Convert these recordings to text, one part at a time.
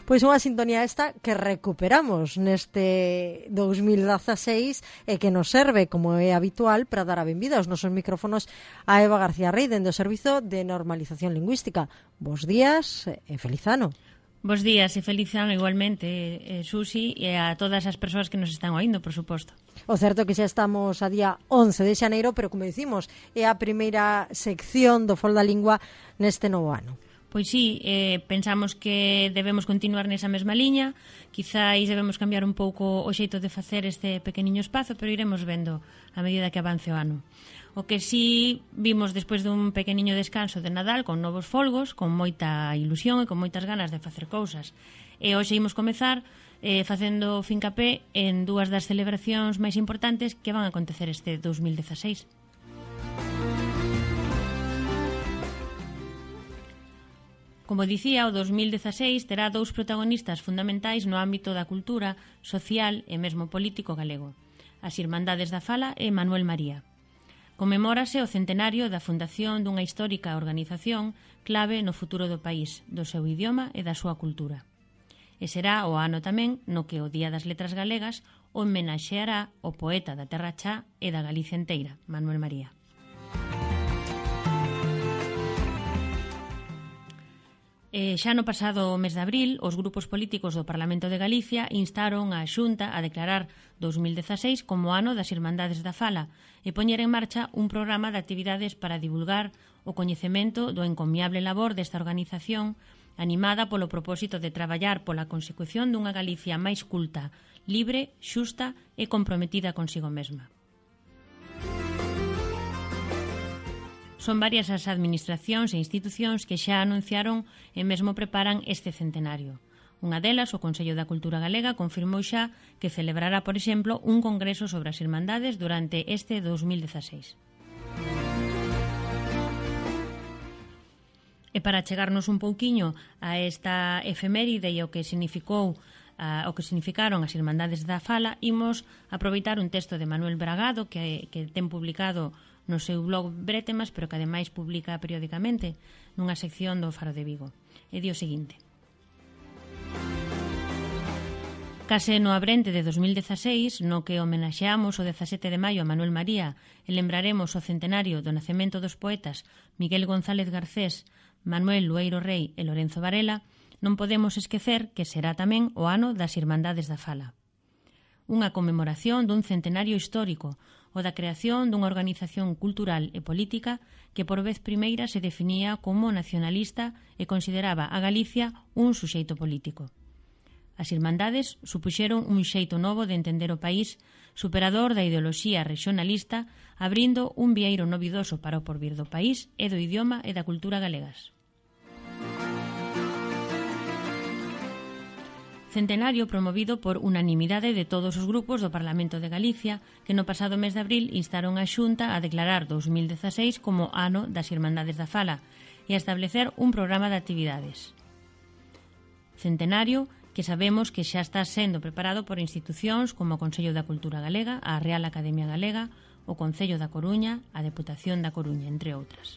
Pois unha sintonía esta que recuperamos neste 2016 e que nos serve, como é habitual, para dar a benvida aos nosos micrófonos a Eva García Rey, dende o Servizo de Normalización Lingüística. Bos días e feliz ano. Bos días e feliz ano igualmente, Susi, e a todas as persoas que nos están oindo, por suposto. O certo que xa estamos a día 11 de xaneiro, pero como dicimos, é a primeira sección do Fol da Lingua neste novo ano. Pois sí, pensamos que debemos continuar nesa mesma liña, quizáis debemos cambiar un pouco o xeito de facer este pequeniño espazo, pero iremos vendo a medida que avance o ano. O que sí vimos despois dun pequeniño descanso de Nadal con novos folgos, con moita ilusión e con moitas ganas de facer cousas. E hoxe imos comezar facendo fincapé en dúas das celebracións máis importantes que van a acontecer este 2016. Como dicía, o 2016 terá dous protagonistas fundamentais no ámbito da cultura, social e mesmo político galego. As Irmandades da Fala e Manuel María. Conmemórase o centenario da fundación dunha histórica organización clave no futuro do país, do seu idioma e da súa cultura. E será o ano tamén no que o Día das Letras Galegas homenaxeará o poeta da Terra Chá e da Galicia enteira, Manuel María. Xa no pasado mes de abril, os grupos políticos do Parlamento de Galicia instaron a Xunta a declarar 2016 como ano das Irmandades da Fala e poñer en marcha un programa de actividades para divulgar o coñecemento do encomiable labor desta organización animada polo propósito de traballar pola consecución dunha Galicia máis culta, libre, xusta e comprometida consigo mesma. Son varias as administracións e institucións que xa anunciaron e mesmo preparan este centenario. Unha delas, o Consello da Cultura Galega, confirmou xa que celebrará, por exemplo, un congreso sobre as Irmandades durante este 2016. E para chegarnos un pouquiño a esta efeméride e o que significaron as Irmandades da Fala, imos aproveitar un texto de Manuel Bragado que ten publicado no seu blog Bretemas, pero que ademais publica periódicamente nunha sección do Faro de Vigo. E di o seguinte: Case no abrente de 2016, no que homenaxeamos o 17 de maio a Manuel María e lembraremos o centenario do nacemento dos poetas Miguel González Garcés, Manuel Lueiro Rei e Lorenzo Varela, non podemos esquecer que será tamén o ano das Irmandades da Fala. Unha conmemoración dun centenario histórico, o da creación dunha organización cultural e política que por vez primeira se definía como nacionalista e consideraba a Galicia un suxeito político. As Irmandades supuxeron un xeito novo de entender o país, superador da ideoloxía regionalista, abrindo un vieiro novidoso para o porvir do país e do idioma e da cultura galegas. Centenario promovido por unanimidade de todos os grupos do Parlamento de Galicia, que no pasado mes de abril instaron a Xunta a declarar 2016 como ano das Irmandades da Fala e a establecer un programa de actividades. Centenario que sabemos que xa está sendo preparado por institucións como o Consello da Cultura Galega, a Real Academia Galega, o Concello da Coruña, a Deputación da Coruña, entre outras.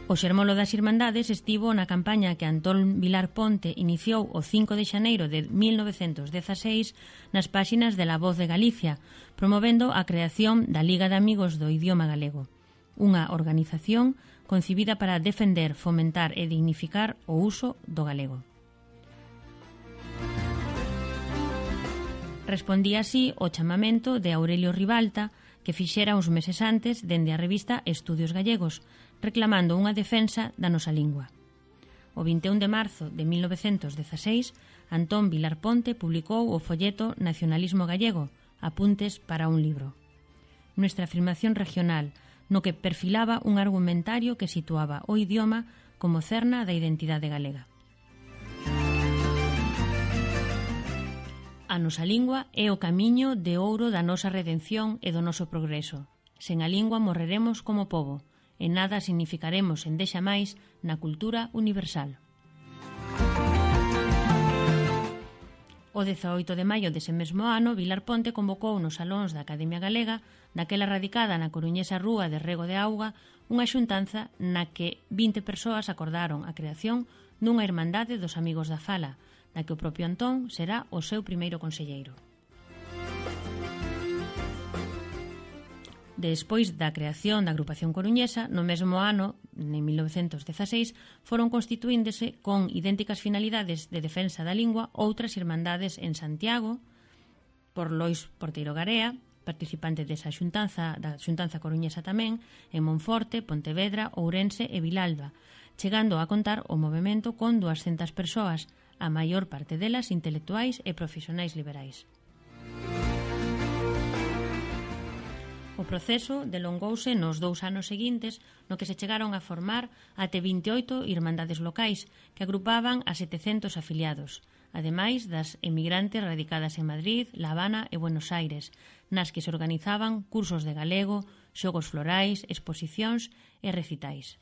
O xermolo das Irmandades estivo na campaña que Antón Vilar Ponte iniciou o 5 de xaneiro de 1916 nas páxinas de La Voz de Galicia, promovendo a creación da Liga de Amigos do Idioma Galego, unha organización concibida para defender, fomentar e dignificar o uso do galego. Respondía así o chamamento de Aurelio Ribalta, que fixera uns meses antes dende a revista Estudios Gallegos, reclamando unha defensa da nosa lingua. O 21 de marzo de 1916, Antón Vilar Ponte publicou o folleto Nacionalismo Gallego, apuntes para un libro. Nuestra afirmación regional, no que perfilaba un argumentario que situaba o idioma como cerna da identidade galega. A nosa lingua é o camiño de ouro da nosa redención e do noso progreso. Sen a lingua morreremos como pobo, e nada significaremos endexa máis na cultura universal. O 18 de maio dese mesmo ano, Vilar Ponte convocou nos salóns da Academia Galega, daquela radicada na coruñesa rúa de Rego de Auga, unha xuntanza na que 20 persoas acordaron a creación dunha Irmandade dos Amigos da Fala, da que o propio Antón será o seu primeiro conselleiro. Despois da creación da agrupación coruñesa, no mesmo ano, en 1916, foron constituíndose con idénticas finalidades de defensa da lingua outras irmandades en Santiago, por Lois Porteiro Garea, participante desa xuntanza, da xuntanza coruñesa tamén, en Monforte, Pontevedra, Ourense e Vilalba, chegando a contar o movemento con 200 persoas, a maior parte delas intelectuais e profesionais liberais. O proceso delongouse nos 2 anos seguintes, no que se chegaron a formar até 28 irmandades locais que agrupaban a 700 afiliados, ademais das emigrantes radicadas en Madrid, La Habana e Buenos Aires, nas que se organizaban cursos de galego, xogos florais, exposicións e recitais.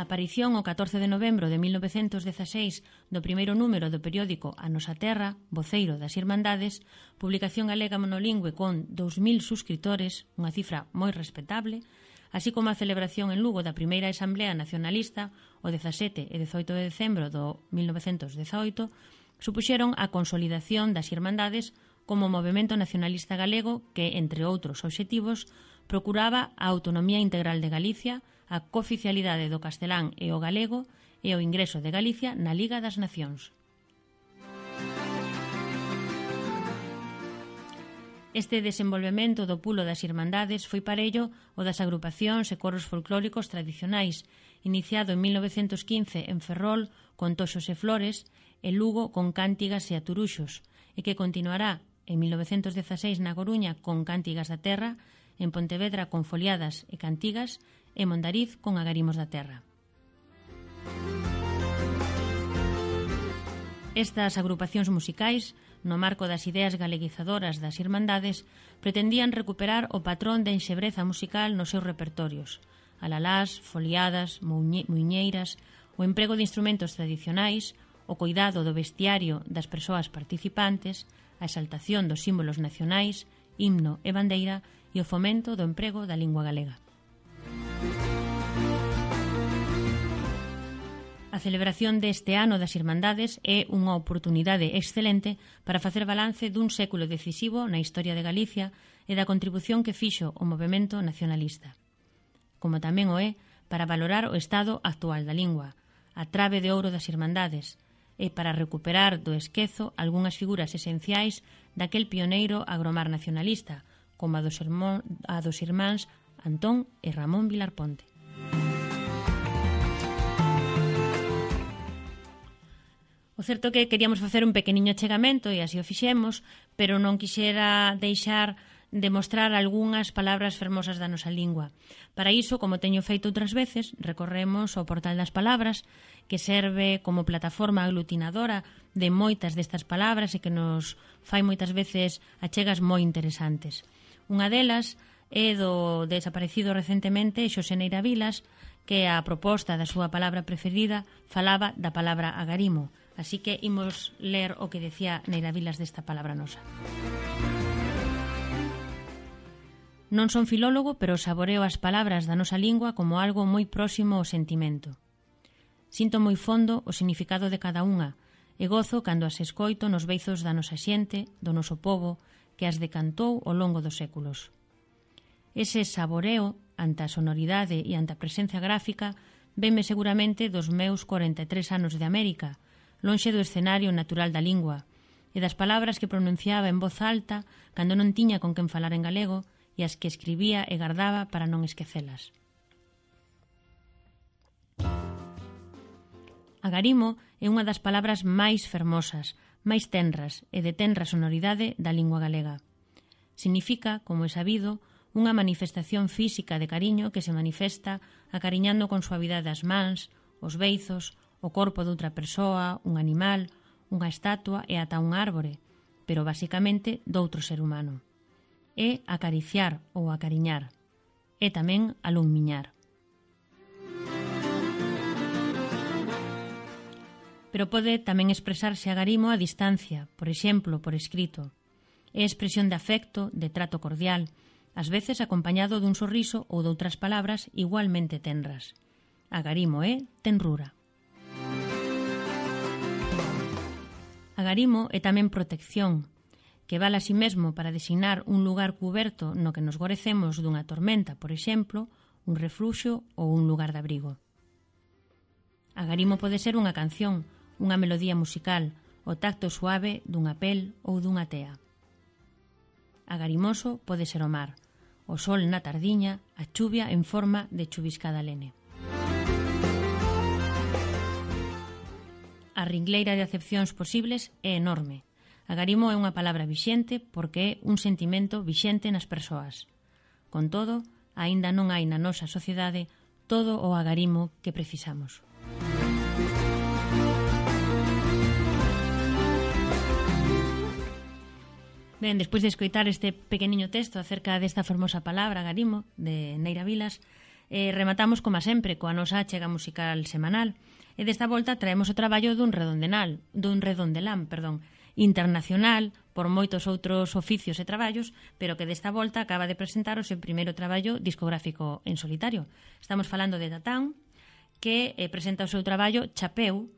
A aparición o 14 de novembro de 1916 do primeiro número do periódico A Nosa Terra, voceiro das Irmandades, publicación galega monolingüe con 2000 suscriptores, unha cifra moi respetable, así como a celebración en Lugo da primeira Asamblea Nacionalista o 17 e 18 de decembro do 1918, supuxeron a consolidación das Irmandades como movemento nacionalista galego que, entre outros obxectivos, procuraba a autonomía integral de Galicia, a cooficialidade do castelán e o galego e o ingreso de Galicia na Liga das Nacións. Este desenvolvemento do pulo das Irmandades foi parello o das agrupacións e coros folclóricos tradicionais, iniciado en 1915 en Ferrol con Toxos e Flores e Lugo con Cántigas e Aturuxos, e que continuará en 1916 na Coruña con Cántigas da Terra, en Pontevedra con Foliadas e Cantigas e Mondariz con Agarimos da Terra. Estas agrupacións musicais, no marco das ideas galeguizadoras das Irmandades, pretendían recuperar o patrón de enxebreza musical nos seus repertorios, alalás, foliadas, muiñeiras, o emprego de instrumentos tradicionais, o cuidado do vestiario das persoas participantes, a exaltación dos símbolos nacionais, himno e bandeira e o fomento do emprego da lingua galega. A celebración deste ano das Irmandades é unha oportunidade excelente para facer balance dun século decisivo na historia de Galicia e da contribución que fixo o movemento nacionalista. Como tamén o é para valorar o estado actual da lingua, a trave de ouro das Irmandades, e para recuperar do esquezo algunhas figuras esenciais daquel pioneiro agromar nacionalista, como a dos irmáns Antón e Ramón Vilar Ponte. O certo é que queríamos facer un pequeniño achegamento e así o fixemos, pero non quixera deixar de mostrar algunhas palabras fermosas da nosa lingua. Para iso, como teño feito outras veces, recorremos ao Portal das Palabras, que serve como plataforma aglutinadora de moitas destas palabras e que nos fai moitas veces achegas moi interesantes. Unha delas é do desaparecido recentemente Xosé Neira Vilas, que a proposta da súa palabra preferida falaba da palabra agarimo. Así que imos ler o que decía Neira Vilas desta palabra nosa. Non son filólogo, pero saboreo as palabras da nosa lingua como algo moi próximo ao sentimento. Sinto moi fondo o significado de cada unha e gozo cando as escoito nos beizos da nosa xente, do noso pobo, que as decantou ao longo dos séculos. Ese saboreo ante a sonoridade e ante a presencia gráfica venme seguramente dos meus 43 anos de América, lonxe do escenario natural da lingua, e das palabras que pronunciaba en voz alta cando non tiña con quen falar en galego e as que escribía e gardaba para non esquecelas. Agarimo é unha das palabras máis fermosas, máis tenras e de tenra sonoridade da lingua galega. Significa, como é sabido, unha manifestación física de cariño que se manifesta acariñando con suavidade as mans, os beizos, o corpo de outra persoa, un animal, unha estatua e ata un árbore, pero basicamente doutro ser humano. É acariciar ou acariñar. É tamén alunmiñar. pero pode tamén expresarse agarimo a distancia, por exemplo, por escrito. É expresión de afecto, de trato cordial, ás veces acompañado dun sorriso ou doutras palabras igualmente tenras. Agarimo é tenrura. Agarimo é tamén protección, que vale a sí mesmo para designar un lugar cuberto no que nos gorecemos dunha tormenta, por exemplo, un refluxo ou un lugar de abrigo. Agarimo pode ser unha canción, unha melodía musical, o tacto suave dunha pel ou dunha tea. Agarimoso pode ser o mar, o sol na tardiña, a chuvia en forma de chuviscada lene. A ringleira de acepcións posibles é enorme. Agarimo é unha palabra vixente porque é un sentimento vixente nas persoas. Con todo, aínda non hai na nosa sociedade todo o agarimo que precisamos. Ben, despois de escoitar este pequeniño texto acerca desta fermosa palabra, agarimo, de Neira Vilas, rematamos, como sempre, coa nosa achega musical semanal. E desta volta traemos o traballo dun redondelán, internacional, por moitos outros oficios e traballos, pero que desta volta acaba de presentar o seu primeiro traballo discográfico en solitario. Estamos falando de Tatán, que presenta o seu traballo Chapeu,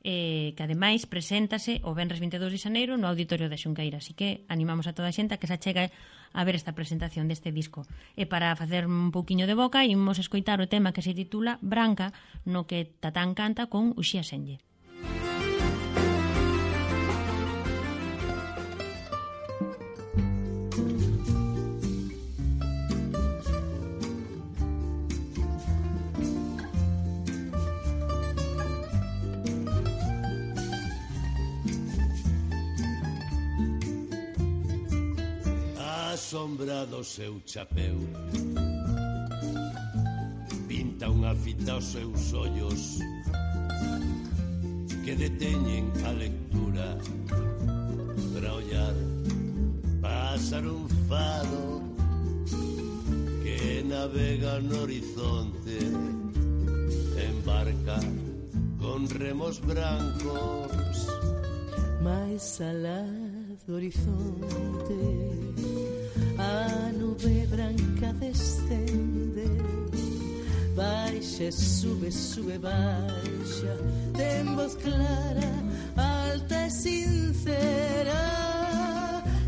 que ademais preséntase o venres 22 de xaneiro no Auditorio da Xunqueira, así que animamos a toda a xente a que se achegue a ver esta presentación deste disco. E para facer un pouquiño de boca, imos escoitar o tema que se titula Branca, no que Tatán canta con Uxía Senlle. Sombra do seu chapeu pinta unha fita aos seus ollos que deteñen a lectura para ollar pasar un fado que navega no horizonte en barca con remos brancos máis alá do horizonte a nube branca descende, baixa, sube, sube, baixa, ten voz clara, alta e sincera,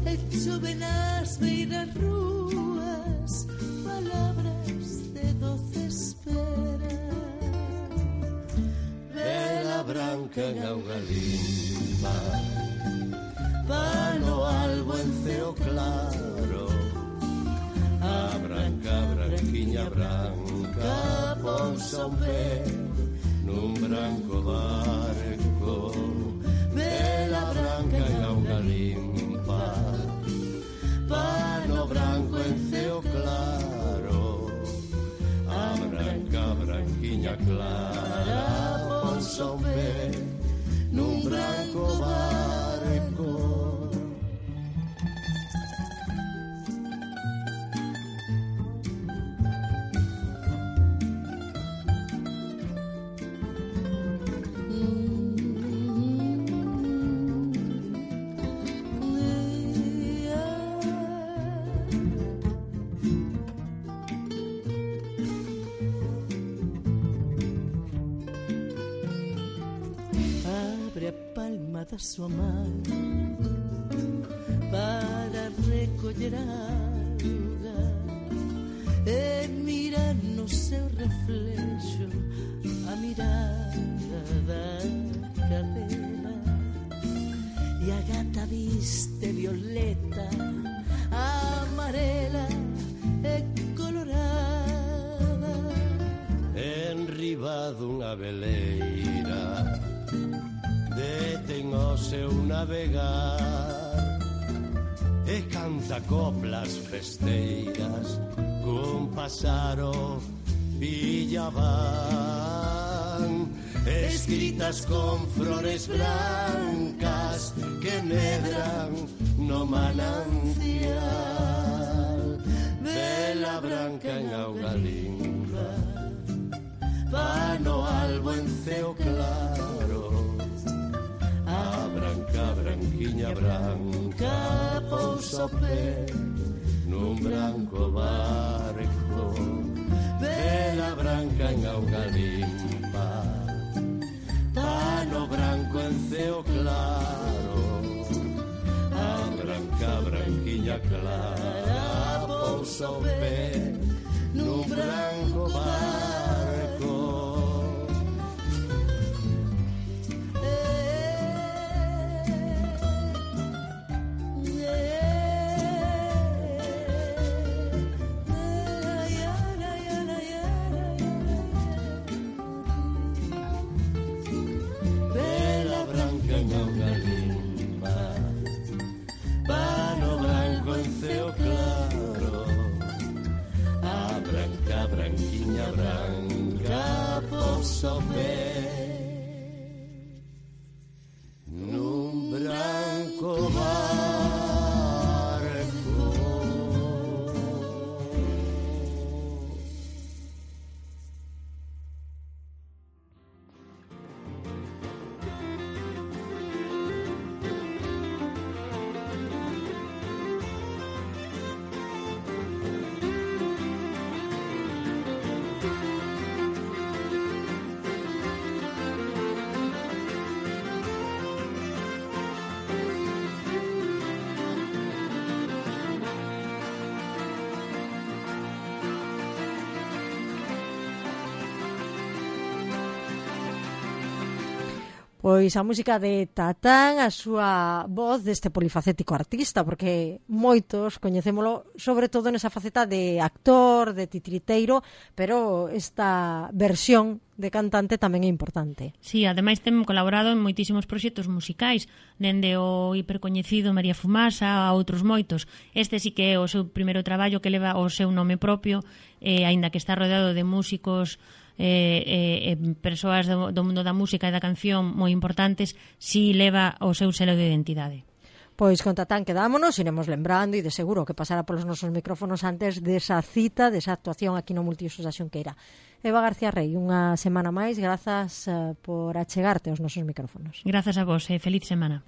e chove nas beiras rúas, palabras de doce espera. Vela branca en auga limpa, pano albo en ceo claro, a branca, branquiña branca, pousa un pé nun branco barco. Vela branca en auga limpa, pano branco en ceo claro, a branca, branquiña clara, pousa un pé nun branco barco. Da súa man para recoller auga e mirar no seu reflexo a mirada da cadela e a gata viste violeta, amarela e colorada enriba dunha veleira detén o seu navegar e canta coplas festeiras cun pasaro villaban escritas con flores blancas que medran no manancial. Vela branca en auga limpa, pano albo en ceo claro, branca pousa o pé nun branco barco, vela branca en auga limpa, pano branco en ceo claro, a branca branquiña clara pousa o pé nun branco barco. Vela branca en auga limpa, pano branco en ceo claro, a branca branquiña branca pousa o pé nun branco barco. Pois a música de Tatán, a súa voz deste polifacético artista, porque moitos coñecémolo sobre todo nesa faceta de actor, de titiriteiro, pero esta versión de cantante tamén é importante. Sí, ademais ten colaborado en moitísimos proxectos musicais, dende o hipercoñecido María Fumasa a outros moitos. Este sí que é o seu primeiro traballo que leva o seu nome propio, aínda que está rodeado de músicos persoas do mundo da música e da canción moi importantes, si leva o seu selo de identidade. Pois con Tatán quedámonos, iremos lembrando e de seguro que pasará polos nosos micrófonos antes desa cita, desa actuación aquí no Multiusos da Xunqueira. Eva García Rey, unha semana máis, grazas por achegarte aos nosos micrófonos. Grazas a vos e feliz semana.